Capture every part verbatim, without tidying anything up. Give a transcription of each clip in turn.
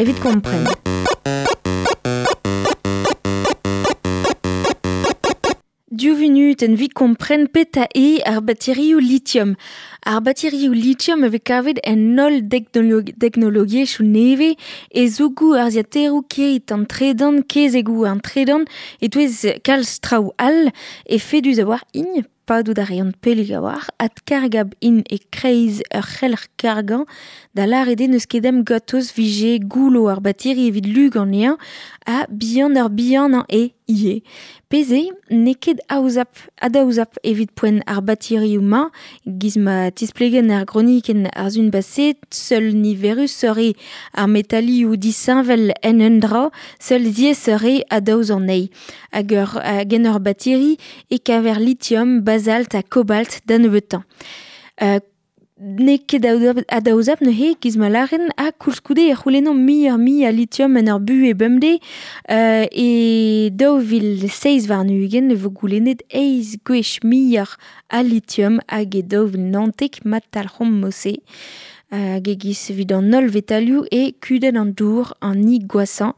Evit kompren. Div vunut en vit kompren peta e ar baterioù lithium. Ar baterioù lithium a vez kavet en holl teknologiezhioù nevez e zougoù ar ziateroù keit an tredan, kezegoù an tredan, e-touez kalz traoù all e fedus a war int padout a reont pellig a war, adkargab int e kreiz ur c'helc'h kargañ, da lâret eo n'eus ket em gatoz vije goulo ar bateri evit lug anezhañ ha bihan ur bihanañ eo ivez. Pezh eo n'eo ket aozap, adaozap evit poent ar baterioù-mañ, giz ma tisplegenn ar gronikenn ar sun baset, seul niverus eo ar metalioù disheñvel en un dra, seul ziaesoc'h eo adaoz anezhi. Hag ur, hag en ur bateri e kaver lithium, bazalt ha kobalt da nebeutañ. Euh, N'eo ket adaozap neuze giz ma lâren ha koulskoude e c'houlennomp muioc'h mui a lithium en ur buhez bemdez euh, e daou vil seizh warn-ugent e vo goulennet eizh gwech muioc'h a lithium hag e daou vil naontek ma talc'homp mod-se. Hag e-giz evit an holl vetalioù e kudenn an dour an ni gwashañ.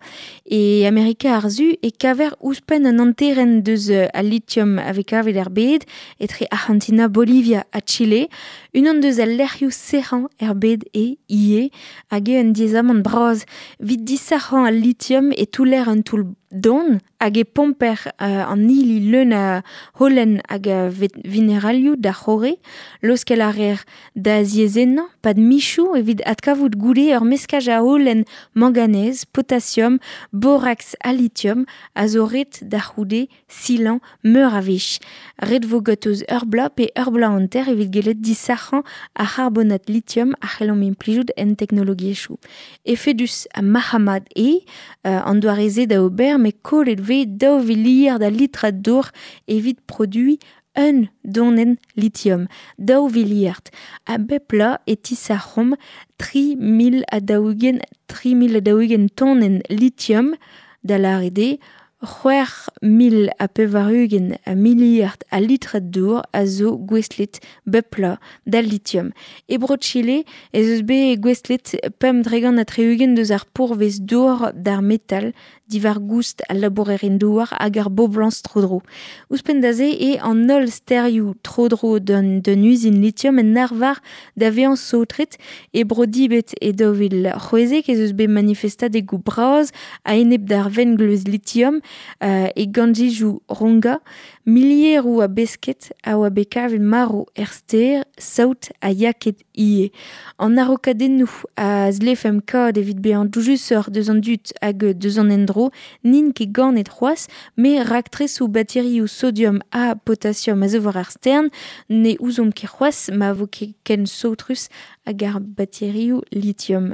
E Amerika ar Su e kaver ouzhpenn an hanterenn deus al lithium a vez kavet er bed, etre Arc'hantina, Bolivia ha Chile. Unan deus al lec'hioù sec'hañ er bed e ivez, hag eo un diaezamant bras. Evit disac'hañ al lithium e touller un toull don hag e pomper euh, an hili leun a holen hag a mineralioù da c'horre, laoskel a reer da ziaezhennañ, pad michoù evit adkavout goude ur meskaj a holen manganez, potassium, borax ha lithium a zo ret da c'houde silañ meur a wech. Ret vo gatoz ur bloaz pe ur bloaz hanter evit gellet disac'hañ ar c'harbonat lithium a c'hellomp implijout en teknologiezhioù. Efedus ha marc'h-mat eo, euh, an doare-se da ober, met kollet vez daou viliard a litrad dour evit produiñ un donenn lithium, daou viliard. A bep bloaz e tisac'homp tri mil ha daou-ugent, tri mil ha daou-ugent tonenn lithium, da lâret eo c'hwec'h mil ha pevar-ugent a miliard a litrad dour a zo gouestlet bep bloaz d'al lithium. E Bro-Chile ez eus bet gouestlet pemp dregant ha tri-ugent deus ar pourvez dour d'ar metal diwar goust al labourerien douar hag ar boblañs tro-dro. Ouzhpenn da se eo an holl stêrioù tro-dro d'un, d'un uzin lithium en arvar da vezañ saotret e Bro-Dibet e daou vil c'hwezek ez eus bet manifestadegoù bras a-enep d'ar vengleuz lithium euh, e ganjijoù Ronga, milieroù a besked a oa bet kavet marv er stêr, saout ha yaked ivez. An arokadennoù a zlefemp kaout evit bezañ doujusoc'h deus an dud hag deus an endro n'int ket ganet c'hoazh, met raktresoù baterioù sodium ha potassium a zo war ar stern ne ouzomp ket c'hoazh ma vo ket ken saotrus hag ar baterioù lithium.